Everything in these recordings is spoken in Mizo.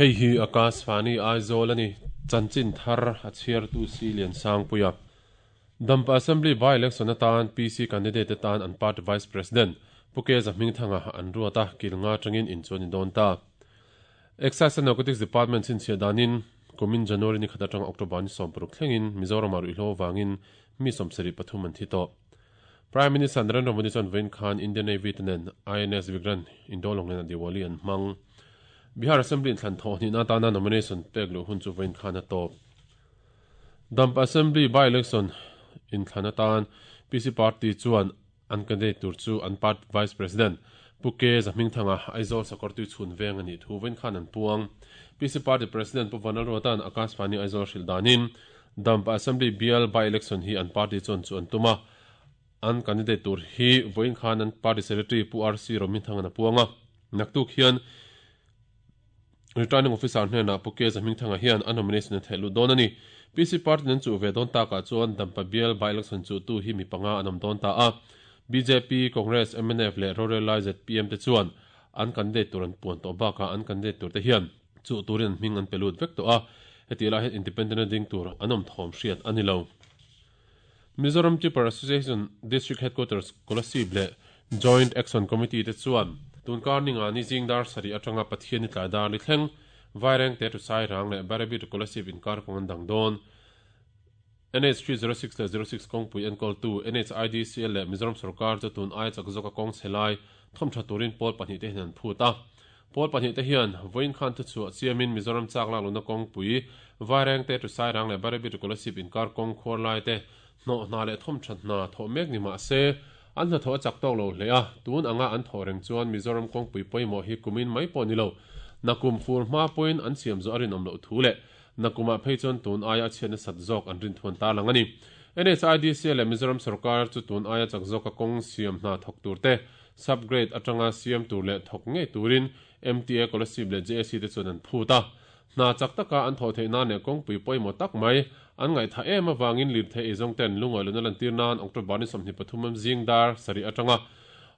Hei hi Akashvani Aizawl a ni. Chanchin thar a chhiartu Si Liansangpuia. Dampa Assembly by-election atan PC candidate te tan an party Vice President Pu Keza Hmingthanga an ruat a, kil nga atangin inchuan ni dawn ta. Excise and Narcotics Department chhinchhiah danin kumin January ni khat atanga October ni 16 thlengin Mizoramah ruihhlo avangin mi 73 an thi tawh. Prime Minister Narendra Modi chuan vawiin khan Indian Navy te nen INS Vikrant Indolong nena Diwali an hmang. Bihar Assembly inthlan thawh hnihna atana nomination pek luh hun chu vawiin khan a tawp. Damp Assembly by-election inthlan atan PC Party chuan an candidate tur chu an party Vice President Pu K Zahmingthanga Aizawl Sakawrtui chhun veng a nih thu vawiin khan an puang. PC Party President Pu Vanlalruata'n Akashvani Aizawl hrilh danin Damp Assembly bial by-election hi an party chuan chu an tum a, an candidate tur hi vawiin khan an party secretary Pu RC Rohmingthanga'n a puang a. Naktuk hian Returning Officer hnenah Pu K Zahmingthanga hian a nomination a theih lut dawn a ni. PC party an chuh ve dawn takah chuan Dampa bial by-election chuhtu hi mi panga an awm dawn ta a. Bjp, Congress, mnf leh rorel lai zpm te chuan an candidate tur an puan tawh bakah an candidate tur te hian chuh turin an hming an pe lut vek tawh a. Hetih lai hian Independent a ding tur an awm thawm hriat a ni lo. Mizoram Tipper Association District Headquarters Kolasib leh Joint Action Committee te chuan tunkar ninga ni zing dar sarih atanga Pathian ni tlai dar ni thleng Vairengte to Sairang leh Bairabi to Kolasib inkar kawng an dang dawn. NH 306 leh 06 kawngpui enkawltu NHIDCL leh Mizoram sorkar chu tun aia chak zawka kawng chhe lai thawmtha turin pawl pahnihte hian an phut a. Pawl pahnihte hian vawiin khan thuchhuah chiamin Mizoram chak lak lohna kawngpui, Vairengte to Sairang leh Bairabi to Kolasib inkar kawng khuar laite hnawh hna leh thawmtha hna thawh mek ni mah se, an hnathawh a chak tawk lo hle a, tun anga an thawh reng chuan Mizoram kawngpui pawimawh hi kumin mai pawh ni lo, nakum fur hma pawhin an siam zawh a rinawm loh thu leh nakumah phei chuan tun aia a chhiat nasat zawk an rinthuan ta lang a ni. NHIDC leh Mizoram sorkar chu tun aia chak zawka kawng siam hna thawk turte Sub-grade atanga siam tur leh thawk ngei turin MTA Kolasib leh JAC te chuan an phut a. Hna chak taka an thawh theih nan leh kawngpui pawimawh tak mai an ngaihthah em avangin lirthei eizawng ten lungawi luna lantir nan October ni 23 am zing dar sarih atanga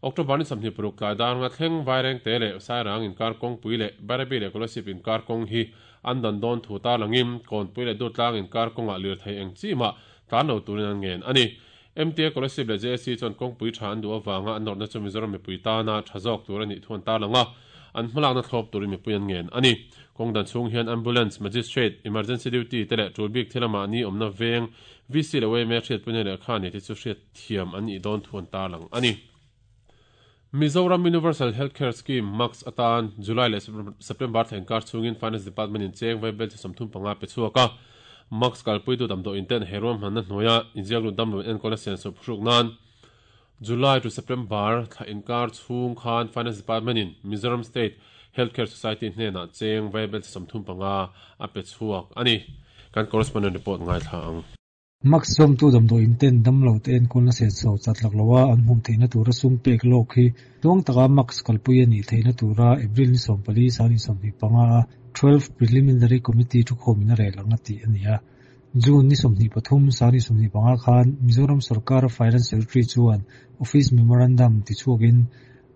October ni 26 tlai dar nga thleng Vairengte leh Sairang inkar kawngpui leh Bairabi leh Kolasib inkar kawng hi an dan dawn thu tarlangin Kawnpui leh Durtlang inkar kawngah lirthei eng chi mah tlan lo turin an ngen a ni. MTA Kolasib leh JSC chuan kawngpui tha an duh avanga an nawrhna chu Mizoram mipui tana tha zawk tur a nih thu an tarlang a, an hmalakna thlawp turin mipui an ngen a ni. Kawng dan chhung hian Ambulance, Magistrate, Emergency Duty te leh tul bik thil a mahni awmna veng VC leh yma hriatpuina lehkha nei te chu hriat thiam an nih dawn thu an tarlang a ni. Mizoram Universal Health Care Scheme, MACS, atan July leh September thla inkar chhungin Finance Department in cheng vaibel chi 35 pe chhuak a. MACS kalpuitu damdawiin ten he ruahmanna hnuaia inziaklut damlo enkawlna sian sawp hruk nan July to September thla inkar chhung khan Finance Department in Mizoram State Health Care Society hnenah cheng vaibel chi 35 a pe chhuak a ni. Kan correspondent report ngaithla ang. Max zawmtu damdawiin ten damlo te enkawlna senso chat lak loha an hmuh theihna tura sum pek lawk hi tluang taka Max kalpui a nih theihna tura April ni 14 sang 25 a 12 Preliminary Committee thukhawmin a rel ang a tih a ni a. June ni 23 sang 25 khan Mizoram sorkara Finance Secretary chuan Office Memorandum tichhuakin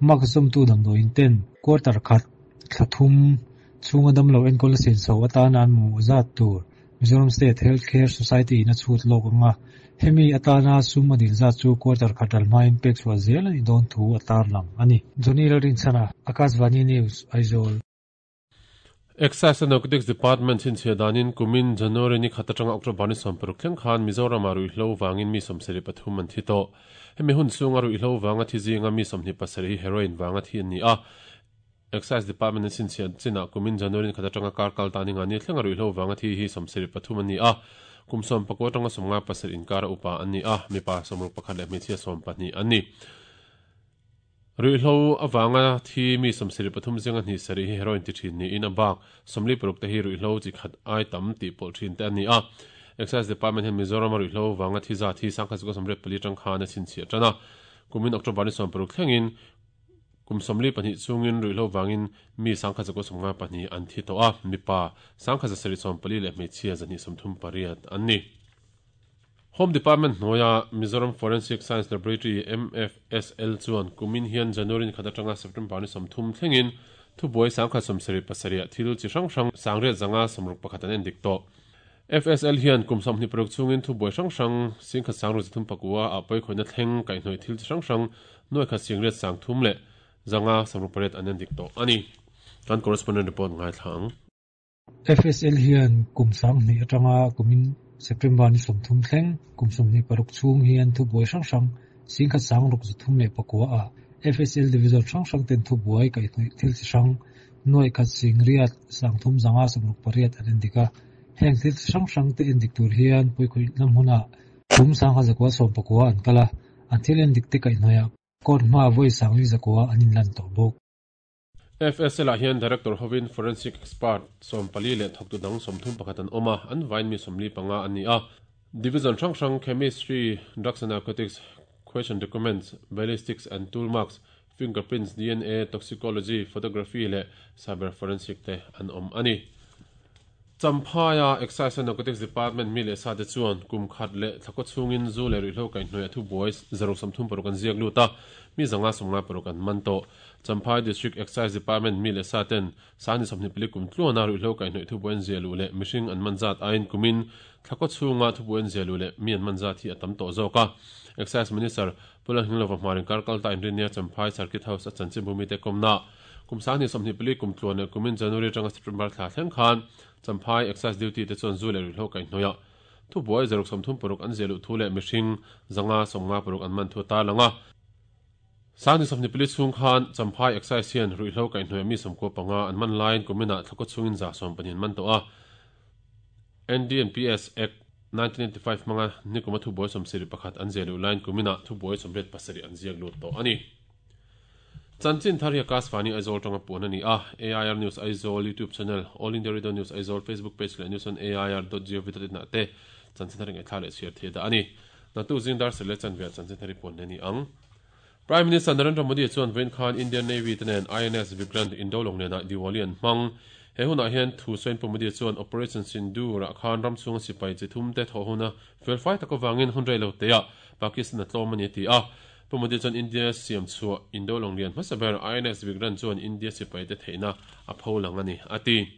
Max zawmtu damdawiin ten quarter khat thla thum chhunga damlo enkawlna senso atana an mamawh zat tur Mizoram State Health Care Society in a chhut lawk ang a, hemi atana sum a dil zat chu quarter khat ral hmain pek chhuah zel a nih dawn thu a tarlang a ni. Johnny Lalrinchhana, Akashvani News, Aizawl. Excise and Narcotics Department chhinchhiah danin kumin January ni khat atanga October ni 60 thleng khan Mizoramah ruihhlo vangin mi 73 an thi tawh. Hemi hun chhunga ruihhlo vanga thi zinga mi 27 hi heroin vanga thi an ni a. Excise Department in chhinchhiah chinah kumin January ni khat atanga kar kal ta ninga ni thlenga ruihhlo vanga thi hi 73 an ni a, kum 19 atanga 57 inkara upa an ni a, mipa 61 leh hmeichhia 12 an ni. Ruihhlo avanga thi mi 73 zinga hnih sarih hi heroin ti thin niin a bak 46 te hi ruihhlo chi khat ai tam tih pawlh thin te an ni a. Excise Department hian Mizoram a ruihhlo vanga thi zat hi 1984 atang khan a chhinchhiah tan a, kumin October ni 60 thlengin Kum 42 chhungin ruihhlo vangin mi 1192 an thi tawh a, mipa 1774 leh hmeichhia 238 an ni. Home Department hnuaia Mizoram Forensic Science Laboratory, MFSL, chuan kumin hian January ni khat atanga September ni 30 thlengin Thubuai 1077 ah thil chi hrang hrang 861 an endik tawh. FSL hian kum 26 chhungin thubuai hrang hrang 10,639 ah pawikhawihna thleng kaihhnawih thil chi hrang hrang 1,830,568 an endik tawh a ni. Kan correspondent report ngaithla ang. FSL hian kum 2000 atanga kumin September ni 30 thleng kum 26 chhung hian thubuai hrang hrang 10,639 ah FSL division hrang hrang ten thubuai kaihhnawih thil chi hrang 1,830,568 an endik a. Heng thil chi hrang hrang te endik tur hian pawikhawihna hmunah kum 1119 an kal a, an thil endik te kaihhnawihah court hmaah vawi 4,900 an inlan tawh bawk. FSL ah hian Director hovin Forensic Expert 14 leh thawktu dang 31 an awm a, an vaiin mi 45 an ni a. Division hrang hrang Chemistry, Drugs and Narcotics, Question Documents, Ballistics and Tool Marks, Fingerprints, dna, Toxicology, Photography leh Cyber Forensic te an awm a ni. Champhaia Excise and Narcotics Department mi leh sa te chuan kum khat leh thlakaw chhungin zu leh ruihhlo kaihhnawih a thubuai 136 an ziak lut a, mi 156 an man tawh. Champhai District Excise Department mi leh sa ten Sani 24 kum tluana ruihhlo kaihhnawih thubuai an ziah luh leh mihring an man zat aiin kumin thlakaw chhunga thubuai an ziah luh leh mi an man zat hi a tam tawh zawk a. Excise Minister Pu Lalhingilova Hmarin kar kal ta inrinnia Champhai Circuit House a chanchinbu mite kawmna kum 2024 kum tluan leh kumin January atanga September thla thleng khan Champhai Excise Duty te chuan zu leh ruihhlo kaihhnawih thubuai 136 an ziah luh thu leh mihring 156 an man thu a tarlang a. 2024 chhung khan Champhai Excise hian ruihhlo kaihhnawih mi 95 an man laiin kuminah thlakaw chhungin 120 an man tawh a. NDNPS Act 1995 hmanga nikuma thubuai 71 an ziah luh laiin kuminah thubuai 87 an ziak lut tawh a ni. Chanchin thar hi Akashvani Aizawl tanga puan a ni a, AIR News Aizawl YouTube channel, All India Radio News Aizawl Facebook page leh news on air.gov.in ah te chanchin thar ngaihthla leh chhiar thei dah a ni. Naktuk zing dar serh leh chanve ah chanchin thar hi puan leh a ni ang. Prime Minister Narendra Modi chuan vawiin khan Indian Navy te nen INS Vikrant Indo lawng nenah Diwali an hmang. He hunah hian thu sawiin Pu Modi chuan Operation Sindoor ah khan ram chhunga sipai chi thum te thawh huna fel fai tak avangin hun rei lo teah Pakistan a tlawm a ni a ti a. Pu Modi chuan India siam chhuah Indo lawng lian hmasa ber INS Vikrant chuan India sipai te theihna a pho lang a ni a ti.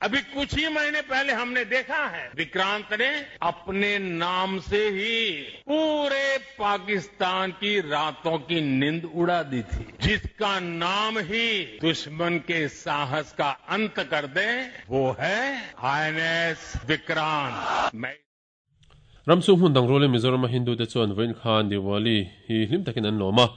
Abhi kuch hi mahine pehle humne dekha hai Vikrant ne apne naam se hi poore Pakistan ki raaton ki nind uda di thi. Jiska naam hi dushman ke saahas ka ant kar de wo hai INS Vikrant. Main. Ram chhung hmun dang rualin Mizorama Hindu te chuan vawiin khan Diwali hi hlim takin an lawm a.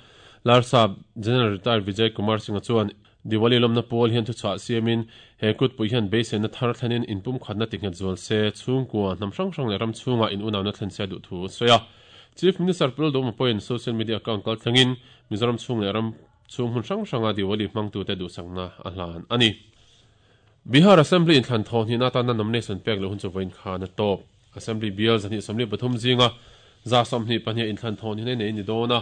Larsap General Retired Vijay Kumar Singh-a chuan Diwali lawmna pawl hian thuchah siamin he kutpui hian beiseina thar thlenin inpumkhatna tinghet zual se, chhungkua, hnam hrang hrang leh ram chhungah in unauna thlen se a duh thu a sawi a. Chief Minister Pu Lalduhma pawhin social media account kal thlengin Mizoram chhung leh ram chhung hmun hrang hranga Diwali hmangtute duhsakna a hlan a ni. Bihar Assembly inthlan thaw hnihna atana nomination pek loh hun chu vawiin khan a tawp. Assembly bial 223 zinga 122 inthlan thaw hnihna nei ni dawn a,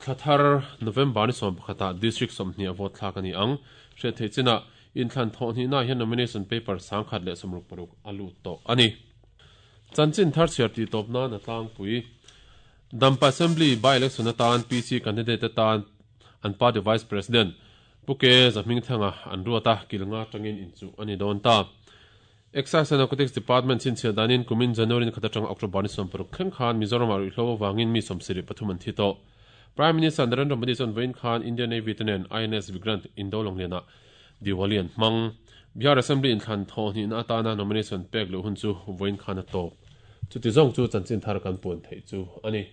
thla thar November ni 11 ah District 20 a vote thlak a ni ang. Hriat theih chinah inthlan thaw hnihna ah hian nomination paper 166 a lut tawh a ni. Chanchin thar chhiar tih tawp nan a tlangpui. Dampa Assembly by-election atan PC candidate atan an party Vice President Pu Ke Zahmingthanga an ruat a, kil nga atangin inchuh a ni dawn ta. Excise and Narcotics Department chhinchhiah danin kumin January ni khat atanga October ni 60 thleng khan Mizoramah ruihhlo avangin mi 73 an thi tawh. Prime Minister Narendra Modi chuan vawiin khan Indian Navy te nen INS Vikrant Indo Lawnglianah Diwali an hmang. Bihar Assembly inthlan thawh hnihna atana nomination pek luh hun chu vawiin khan a tawp. Chuti zawng chu chanchin thar kan puan theih chu a ni.